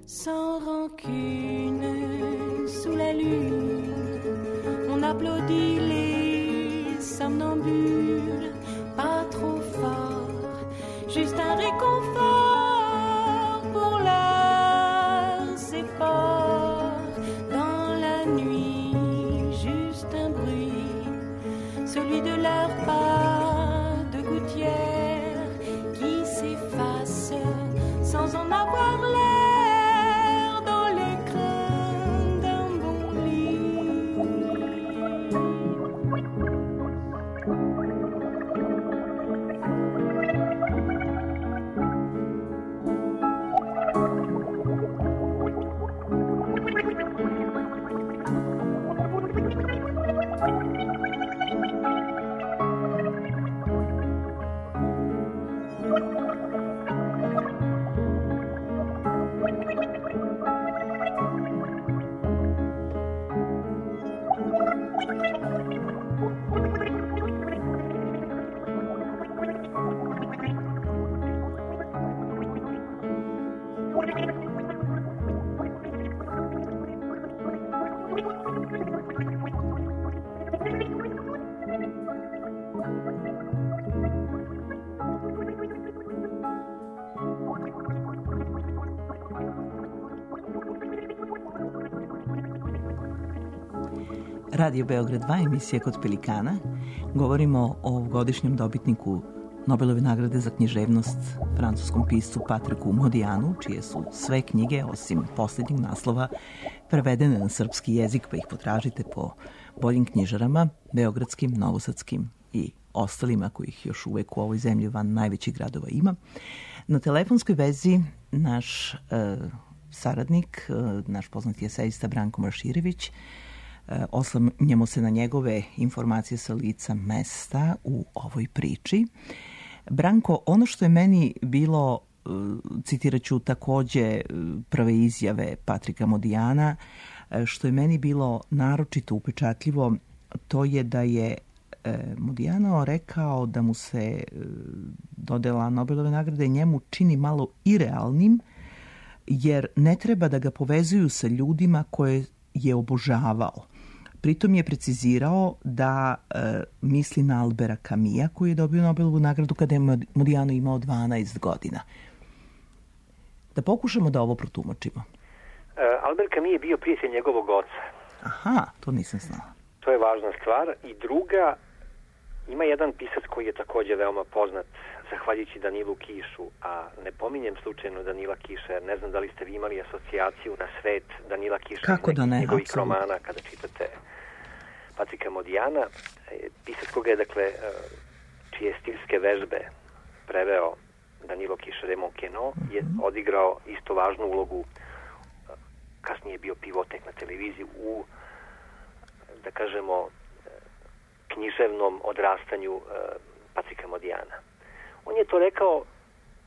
sans rancune, sous la lune, on applaudit les somnambules, pas trop fort, juste un réconfort pour leurs efforts. Dans la nuit, juste un bruit, celui de leurs pas de gouttière qui s'efface sans en avoir l'air dans l'écrin d'un bon lit. Radio Beograd dva, emisija Kod pelikana. Govorimo o godišnjem dobitniku Nobelove nagrade za književnost, francuskom piscu Patriku Modijanu, čije su sve knjige, osim posljednjeg naslova, prevedene na srpski jezik, pa ih potražite po boljim knjižarama, beogradskim, novosadskim i ostalima kojih još uvek u ovoj zemlji van najvećih gradova ima. Na telefonskoj vezi naš e, saradnik, e, naš poznati esejista Branko Marširević. Oslanjamo se na njegove informacije sa lica mesta u ovoj priči. Branko, ono što je meni bilo, citirat ću takođe prve izjave Patrika Modijana, što je meni bilo naročito upečatljivo, to je da je Modijano rekao da mu se dodela Nobelove nagrade njemu čini malo irealnim, jer ne treba da ga povezuju sa ljudima koje je obožavao. Pritom je precizirao da e, misli na Albera Camisa, koji je dobio Nobelovu nagradu kada je Modijano imao dvanaest godina. Da pokušamo da ovo protumačimo. Uh, Albert Camus je bio prijatelj njegovog oca. Aha, to nisam znala. To je važna stvar. I druga, ima jedan pisac koji je takođe veoma poznat, zahvaljujući Danilu Kišu, a ne pominjem slučajno Danila Kiša, jer ne znam da li ste vi imali asocijaciju na svet Danila Kiša. Kako da ne, njegovih apsolutno. romana, kada čitate Patrika Modijana. Pisac koga je, dakle, čije stilske vežbe preveo Danilo Kiša de Monqueno, je odigrao isto važnu ulogu, kasnije je bio pivotek na televiziji u, da kažemo, književnom odrastanju Patrika Modijana. On je to rekao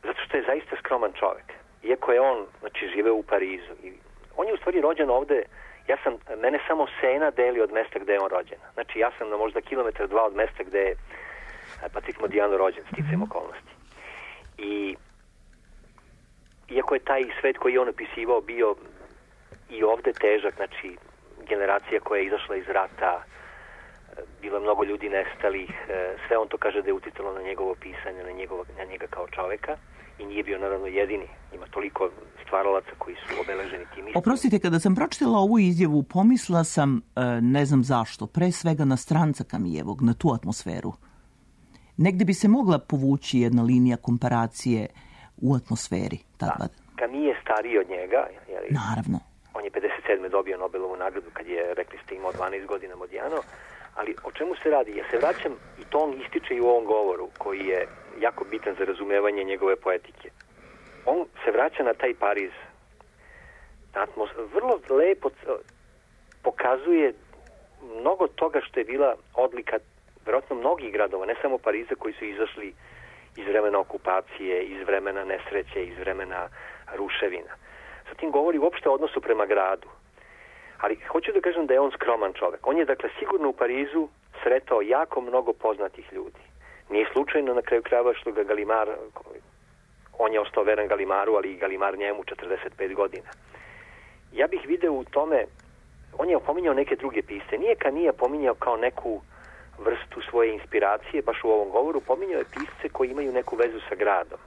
zato što je zaista skroman čovek. Iako je on, znači, živeo u Parizu. I on je u stvari rođen ovde, ja sam, mene samo Sena deli od mesta gde je on rođen. Znači, ja sam na možda kilometar dva od mesta gde je Patrik Modijano rođen, sticajem okolnosti. I iako je taj svet koji je on opisivao bio i ovde težak, znači, generacija koja je izašla iz rata, bilo je mnogo ljudi nestalih, sve on to kaže da je uticalo na njegovo pisanje, na, njegovo, na njega kao čoveka, i nije bio naravno jedini. Ima toliko stvaralaca koji su obeleženi tim istim. Oprostite, kada sam pročitala ovu izjavu, pomislila sam, ne znam zašto, pre svega na stranca Kamijevog, na tu atmosferu. Negde bi se mogla povući jedna linija komparacije u atmosferi. Da, Kamije je stariji od njega. Jer naravno. On je pedeset sedme dobio Nobelovu nagradu kad je, rekli ste, imao dvanaest godina Modijano, Ali o čemu se radi? Ja se vraćam, i to on ističe i u ovom govoru, koji je jako bitan za razumevanje njegove poetike. On se vraća na taj Pariz. Atmos, vrlo lepo pokazuje mnogo toga što je bila odlika vjerojatno mnogih gradova, ne samo Pariza, koji su izašli iz vremena okupacije, iz vremena nesreće, iz vremena ruševina. Zatim govori uopšte o odnosu prema gradu. Ali hoću da kažem da je on skroman čovek. On je dakle sigurno u Parizu sretao jako mnogo poznatih ljudi. Nije slučajno na kraju krajeva što ga Galimar, on je ostao veran Galimaru, ali i Galimar njemu četrdeset pet godina. Ja bih video u tome, on je opominjao neke druge pisce. Nije Kanija pominjao kao neku vrstu svoje inspiracije, baš u ovom govoru, pominjao je pisce koji imaju neku vezu sa gradom.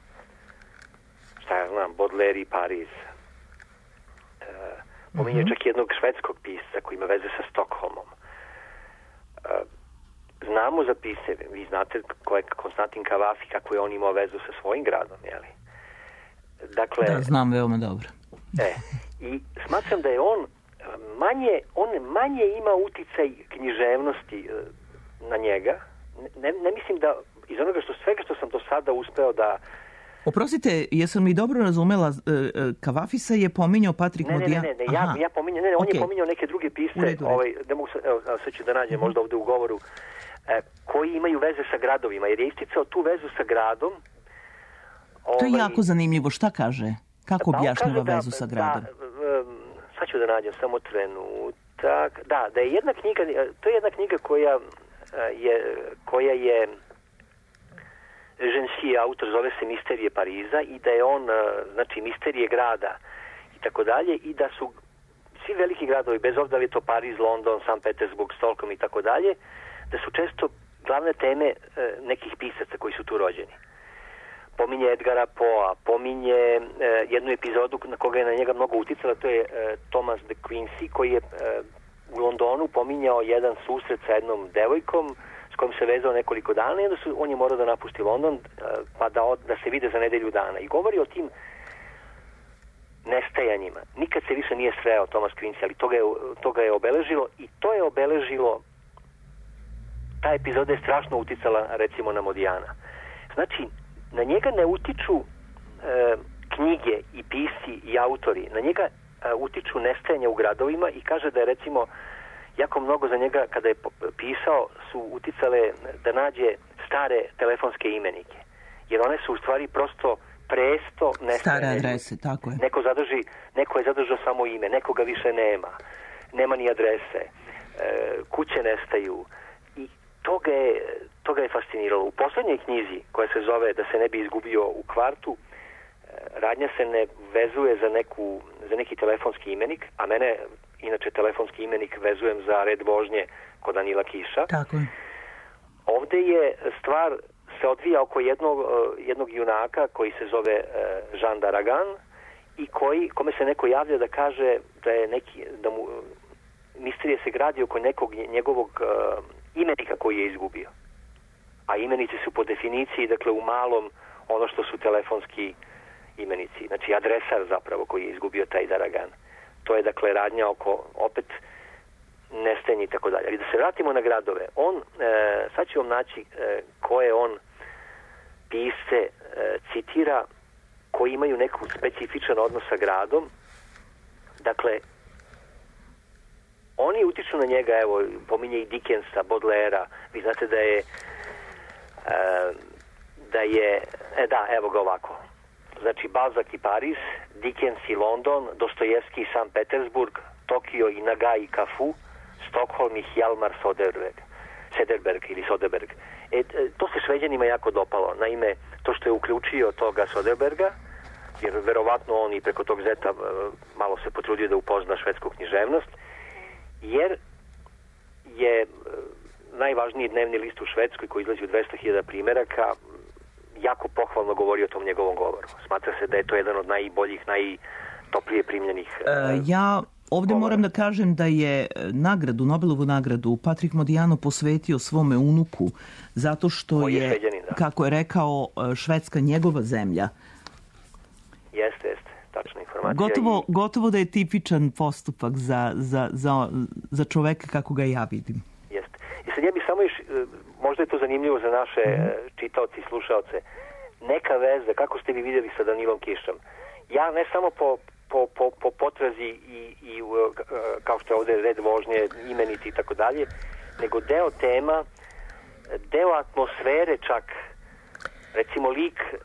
Šta ja znam, Baudelaire i Pariz. E, pominjao mm-hmm. čak jednog švedskog pisca koji ima veze sa Stokholmom. E, znamo za pisce, vi znate ko je Konstantin Cavafy, kako je on imao vezu sa svojim gradom, jeli? Dakle, da, znam veoma dobro. E, i smatram da je on manje, on manje ima uticaj književnosti na njega. Ne, ne mislim da iz onoga što svega što sam do sada uspeo da... Oprostite, jesam li dobro razumela, Cavafisa je pominjao Patrik Modiano? Ne, ne, ne, ne, ja, ja pominjao, ne, ne, on okay. je pominjao neke druge pisce, redu, ovaj, ne mogu, evo, sad ću da nađem mm-hmm. možda ovde u govoru, e, koji imaju veze sa gradovima, jer je isticao tu vezu sa gradom. Ovaj, to je jako zanimljivo, šta kaže? Kako objašnjava da, vezu sa gradom? Da, sad ću da nađem samo trenutak. Da, da je jedna knjiga, to je jedna knjiga koja je, koja je Žensi, autor, zove se Misterije Pariza, i da je on, znači, misterije grada i tako dalje, i da su svi veliki gradovi, bez obzira da je to Pariz, London, Sankt Petersburg, Stockholm i tako dalje, da su često glavne teme nekih pisaca koji su tu rođeni. Pominje Edgara Poa, pominje e, jednu epizodu na koga je na njega mnogo uticala, to je e, Thomas de Quincey, koji je e, u Londonu pominjao jedan susret sa jednom devojkom s kojom se vezao nekoliko dana, i onda su, on je morao da napusti London, e, pa da, od, da se vide za nedelju dana. I govori o tim nestajanjima. Nikad se više nije sreo Thomas Quincey, ali to ga je, to ga je obeležilo, i to je obeležilo, ta epizoda je strašno uticala recimo na Modiana. Znači, na njega ne utiču e, knjige i pisci i autori. Na njega e, utiču nestajanja u gradovima, i kaže da je recimo jako mnogo za njega, kada je pisao, su uticale da nađe stare telefonske imenike. Jer one su u stvari prosto presto nestajanje. Stare adrese, tako je. Neko, zadrži, neko je zadržao samo ime, nekoga više nema. Nema ni adrese. E, kuće nestaju. I to ga je, to ga je fasciniralo. U poslednjoj knjizi, koja se zove Da se ne bi izgubio u kvartu, radnja se ne vezuje za, neku, za neki telefonski imenik, a mene, inače, telefonski imenik vezujem za red vožnje kod Danila Kiša. Tako je. Ovde je stvar se odvija oko jednog, jednog junaka koji se zove Jean d'Aragon, i koji, kome se neko javlja da kaže da je neki, da mu misterije se gradi oko nekog njegovog imenika koji je izgubio. A imenici su po definiciji, dakle, u malom ono što su telefonski imenici. Znači, adresar zapravo koji je izgubio taj d'Aragon. To je, dakle, radnja oko, opet, nestajanje i tako dalje. Ali da se vratimo na gradove. On, e, sad ću vam naći e, koje on pisce e, citira, koji imaju neku specifičan odnos sa gradom. Dakle, oni utiču na njega, evo, pominje i Dickensa, Baudelairea. Vi znate da je e, da je, e da, evo ga ovako. Znači, Balzac i Pariz, Dickens i London, Dostojevski i Sankt Petersburg, Tokio i Nagai i Cafu, Stockholm i Hjalmar Soderberg, Sederberg ili Soderberg. E, to se Šveđanima jako dopalo. Naime, to što je uključio toga Soderberga, jer verovatno on i preko tog zeta malo se potrudio da upozna švedsku književnost, jer je najvažniji dnevni list u Švedskoj, koji izlazi u dvesta hiljada primeraka, jako pohvalno govori o tom njegovom govoru. Smatra se da je to jedan od najboljih, najtoplije primljenih e, ja ovde govora. Moram da kažem da je nagradu, Nobelovu nagradu, Patrik Modiano posvetio svome unuku, zato što je, je da. kako je rekao, Švedska njegova zemlja. Jeste, jeste, tačna informacija. Gotovo, i... gotovo da je tipičan postupak za, za, za, za čoveka kako ga ja vidim. Jeste. I sad ja bih samo još, možda je to zanimljivo za naše mm-hmm. čitaoci i slušaoce, neka veza, kako ste vi vidjeli sa Danilom Kišom. Ja ne samo po, po, po, po potrazi i, i kao što je ovdje red vožnje, imenici i tako dalje, nego deo tema, deo atmosfere čak, recimo lik e,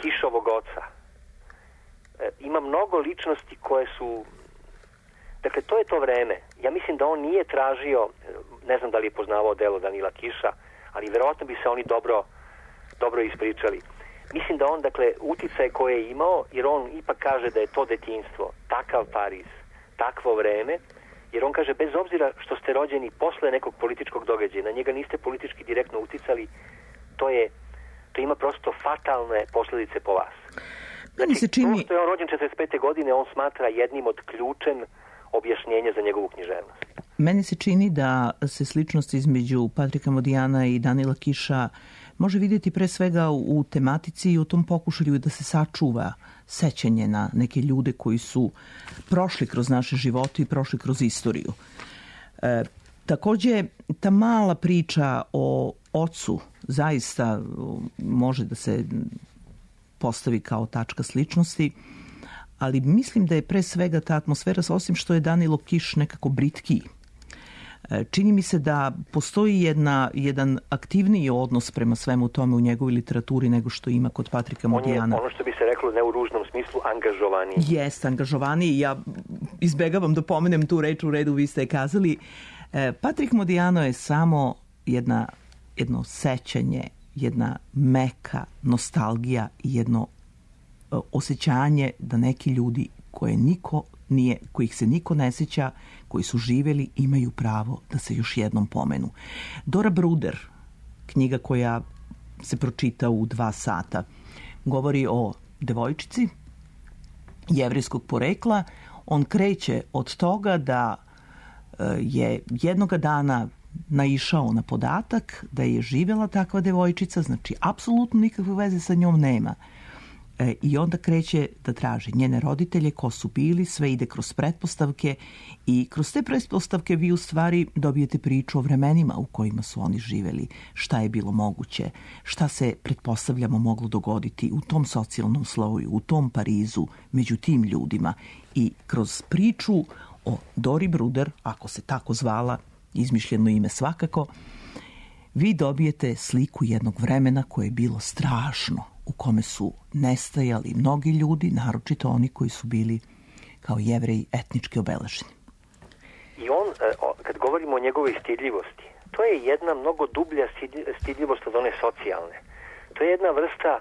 Kišovog oca. E, ima mnogo ličnosti koje su, dakle to je to vreme. Ja mislim da on nije tražio, ne znam da li je poznavao delo Danila Kiša, ali verovatno bi se oni dobro, dobro ispričali. Mislim da on, dakle, uticaj koje je imao, jer on ipak kaže da je to detinjstvo, takav Pariz, takvo vreme, jer on kaže, bez obzira što ste rođeni posle nekog političkog događaja, na njega niste politički direktno uticali, to je, to ima prosto fatalne posljedice po vas. Znači, se čini... to što je on rođen četrdeset pete godine, on smatra jednim od ključem objašnjenja za njegovu književnost. Meni se čini da se sličnost između Patrika Modijana i Danila Kiša može vidjeti pre svega u tematici i u tom pokušaju da se sačuva sećanje na neke ljude koji su prošli kroz naše živote i prošli kroz istoriju. E, također, ta mala priča o ocu zaista može da se postavi kao tačka sličnosti, ali mislim da je pre svega ta atmosfera, osim što je Danilo Kiš nekako britkiji. Čini mi se da postoji jedna, jedan aktivniji odnos prema svemu tome u njegovoj literaturi nego što ima kod Patrika Modijana. On je, ono što bi se reklo ne u ružnom smislu, angažovaniji. Jeste, angažovaniji. Ja izbegavam da pomenem tu reč, u redu vi ste je kazali. Patrik Modijano je samo jedna, jedno sećanje, jedna meka nostalgija i jedno osjećanje da neki ljudi koje niko nije, kojih se niko ne sjeća, koji su živjeli, imaju pravo da se još jednom pomenu. Dora Bruder, knjiga koja se pročita u dva sata, govori o devojčici jevrejskog porekla. On kreće od toga da je jednoga dana naišao na podatak da je živjela takva devojčica, znači apsolutno nikakve veze sa njom nema. E, I onda kreće da traži njene roditelje, ko su bili, sve ide kroz pretpostavke i kroz te pretpostavke vi u stvari dobijete priču o vremenima u kojima su oni živjeli, šta je bilo moguće, šta se pretpostavljamo moglo dogoditi u tom socijalnom sloju, u tom Parizu, među tim ljudima. I kroz priču o Dori Bruder, ako se tako zvala, izmišljeno ime svakako, vi dobijete sliku jednog vremena koje je bilo strašno, u kome su nestajali mnogi ljudi, naročito oni koji su bili kao Jevreji etnički obeleženi. I on, kad govorimo o njegovoj stidljivosti, to je jedna mnogo dublja stidljivost od one socijalne. To je jedna vrsta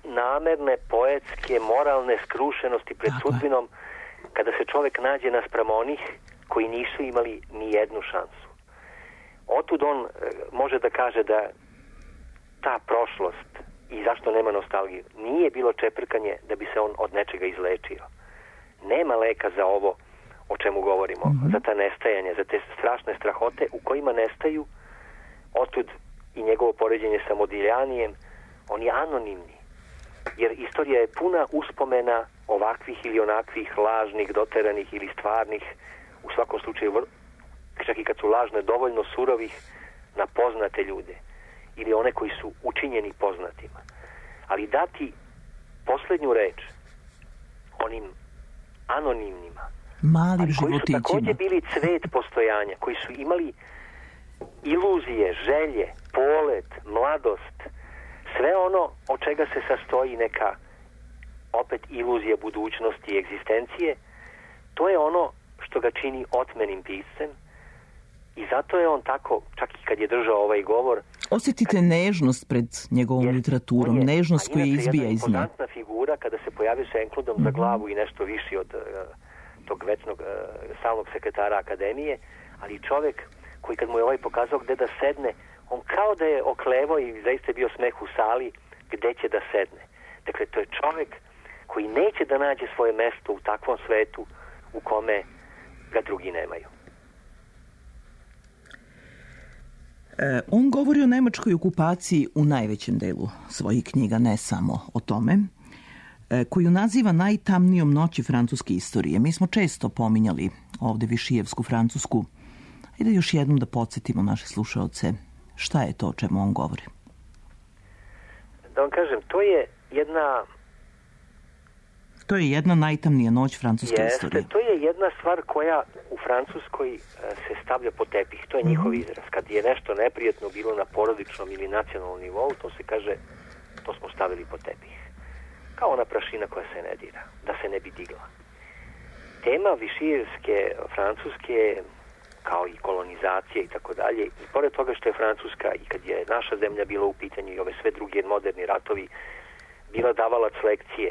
namerne, poetske, moralne skrušenosti pred Tako sudbinom je. Kada se čovjek nađe naspram onih koji nisu imali ni jednu šansu. Otud on može da kaže da ta prošlost i zašto nema nostalgiju, nije bilo čeprkanje da bi se on od nečega izlečio. Nema leka za ovo o čemu govorimo, mm-hmm. za ta nestajanja, za te strašne strahote u kojima nestaju. Otud i njegovo poređenje sa Modiljanijem, on je anonimni. Jer istorija je puna uspomena ovakvih ili onakvih lažnih, doteranih ili stvarnih, u svakom slučaju, čak i kad su lažne, dovoljno surovih na poznate ljude ili one koji su učinjeni poznatima. Ali dati posljednju reč onim anonimnima, malim ali koji su životićima. Također bili cvet postojanja, koji su imali iluzije, želje, polet, mladost, sve ono od čega se sastoji neka opet iluzija budućnosti i egzistencije, to je ono što ga čini otmenim piscem. I zato je on tako, čak i kad je držao ovaj govor... Osjetite kad, nežnost pred njegovom je, literaturom, je, nežnost koja izbija iz nje. Jedna impozantna figura kada se pojavio sa enkludom mm-hmm. za glavu i nešto viši od uh, tog večnog uh, stalnog sekretara akademije, ali čovjek koji kad mu je ovaj pokazao gde da sedne, on kao da je oklevo i zaista je bio smeh u sali gde će da sedne. Dakle, to je čovjek koji neće da nađe svoje mesto u takvom svetu u kome ga drugi nemaju. E, on govori o nemačkoj okupaciji u najvećem delu svojih knjiga, ne samo o tome, e, koju naziva najtamnijom noći francuske istorije. Mi smo često pominjali ovde Višijevsku Francusku Hajde još jednom da podsjetimo naše slušaoce šta je to o čemu on govori. Da vam kažem, to je jedna... To je jedna najtamnija noć francuske Jeste, istorije. to je jedna stvar koja u Francuskoj se stavlja pod tepih. To je njihov mm-hmm. izraz. Kad je nešto neprijatno bilo na porodičnom ili nacionalnom nivou, to se kaže, to smo stavili pod tepih. Kao ona prašina koja se ne dira, da se ne bi digla. Tema višijevske Francuske, kao i kolonizacije i tako dalje, i pored toga što je Francuska i kad je naša zemlja bila u pitanju i ove sve druge moderni ratovi, bila davalac lekcije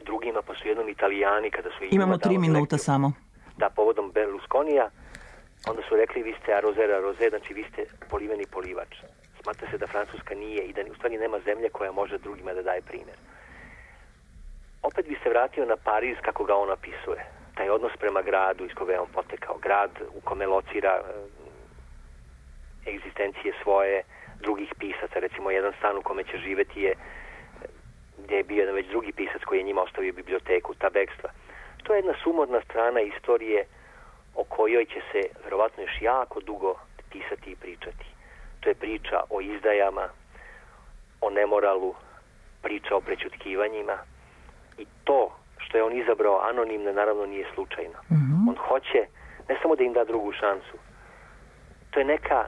drugima, pa su jednom Italijani kada su imamo tri minuta lekciju, samo da povodom Berlusconija, onda su rekli vi ste arozera roze, znači vi ste poliveni polivač. Smatra se da Francuska nije i da u stvari nema zemlje koja može drugima da daje primjer. Opet bi se vratio na Pariz kako ga on opisuje. Taj odnos prema gradu iz koga je on potekao. Grad u kome locira e, egzistencije svoje drugih pisaca. Recimo jedan stan u kome će živeti je gdje je bio jedan već drugi pisac koji je njima ostavio biblioteku, ta bekstva. To je jedna sumorna strana istorije o kojoj će se verovatno još jako dugo pisati i pričati. To je priča o izdajama, o nemoralu, priča o prećutkivanjima i to što je on izabrao anonimno naravno nije slučajno. Mm-hmm. On hoće ne samo da im da drugu šansu. To je neka,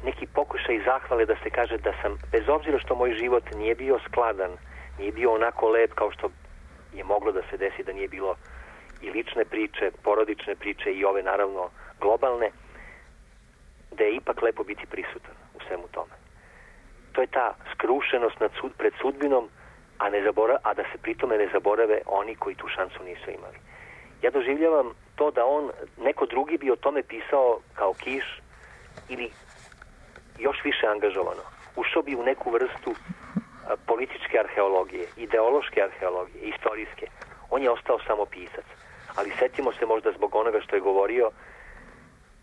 neki pokušaj zahvale da se kaže da sam, bez obzira što moj život nije bio skladan, nije bio onako lep kao što je moglo da se desi da nije bilo i lične priče, porodične priče i ove naravno globalne, da je ipak lepo biti prisutan u svemu tome. To je ta skrušenost nad sud, pred sudbinom, a, ne zabora, a da se pritome ne zaborave oni koji tu šansu nisu imali. Ja doživljavam to da on, neko drugi bi o tome pisao kao Kiš ili još više angažovano. Ušao bi u neku vrstu a, političke arheologije, ideološke arheologije, istorijske. On je ostao samo pisac. Ali setimo se možda zbog onoga što je govorio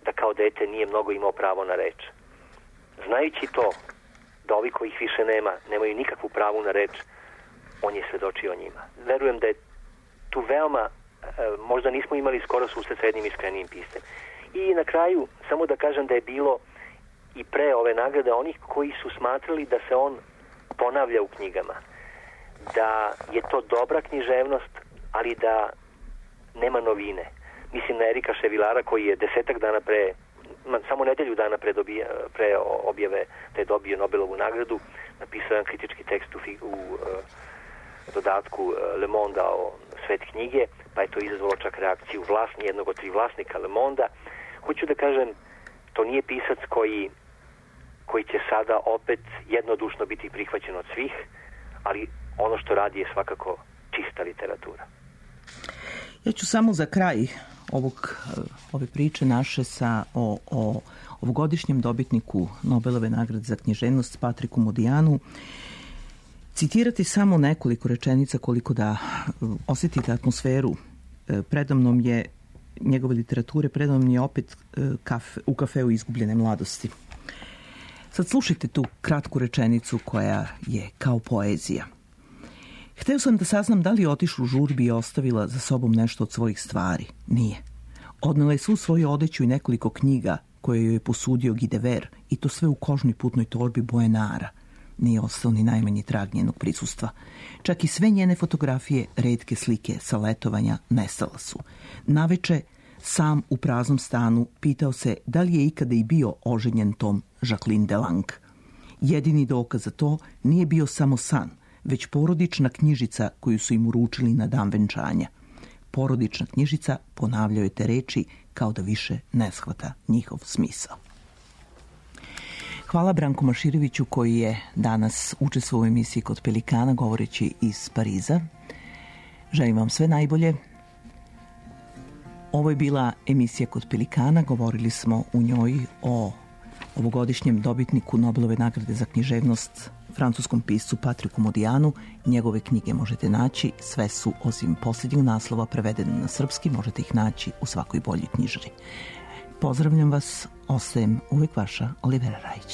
da kao dete nije mnogo imao pravo na reč. Znajući to, da ovi kojih više nema, nemaju nikakvu pravu na reč, on je svedočio o njima. Verujem da je tu veoma, možda nismo imali skoro susret sa jednim iskrenijim piscem. I na kraju, samo da kažem da je bilo i pre ove nagrade onih koji su smatrali da se on ponavlja u knjigama. Da je to dobra književnost, ali da nema novine. Mislim na Erika Ševilara koji je desetak dana pre, samo nedelju dana pre, dobija, pre objave da je dobio Nobelovu nagradu, napisao jedan kritički tekst u, u uh, dodatku uh, Le Monde o svet knjige, pa je to izazvalo čak reakciju vlasni, jednog od tri vlasnika Le Monde. Hoću da kažem, to nije pisac koji, koji će sada opet jednodušno biti prihvaćen od svih, ali ono što radi je svakako čista literatura. Ja ću samo za kraj ovog, ove priče naše sa, o, o ovogodišnjem dobitniku Nobelove nagrade za književnost Patriku Modijanu citirati samo nekoliko rečenica koliko da osjetite atmosferu. Predamnom je njegove literature, predamnom je opet kafe, u kafeu izgubljene mladosti. Sad slušajte tu kratku rečenicu koja je kao poezija. Hteo sam da saznam da li je otišla u žurbi i ostavila za sobom nešto od svojih stvari. Nije. Odnela je svu svoju odeću i nekoliko knjiga koje joj je posudio Gidever i to sve u kožnoj putnoj torbi boje nara. Nije ostao ni najmanji trag njenog prisustva. Čak i sve njene fotografije, retke slike sa letovanja nestala su. Naveče, sam u praznom stanu, pitao se da li je ikada i bio oženjen tom Jacqueline Delangue. Jedini dokaz za to nije bio samo san, već porodična knjižica koju su im uručili na dan venčanja. Porodična knjižica ponavljao je te reči kao da više ne shvata njihov smisao. Hvala Branku Mašireviću koji je danas učestvovao u emisiji Kod Pelikana govoreći iz Pariza. Želim vam sve najbolje. Ovo je bila emisija Kod Pelikana. Govorili smo u njoj o ovogodišnjem dobitniku Nobelove nagrade za književnost, francuskom piscu Patriku Modijanu. Njegove knjige možete naći, sve su osim posljednjeg naslova prevedene na srpski, možete ih naći u svakoj boljoj knjižari. Pozdravljam vas, ostajem uvek vaša Olivera Rajić.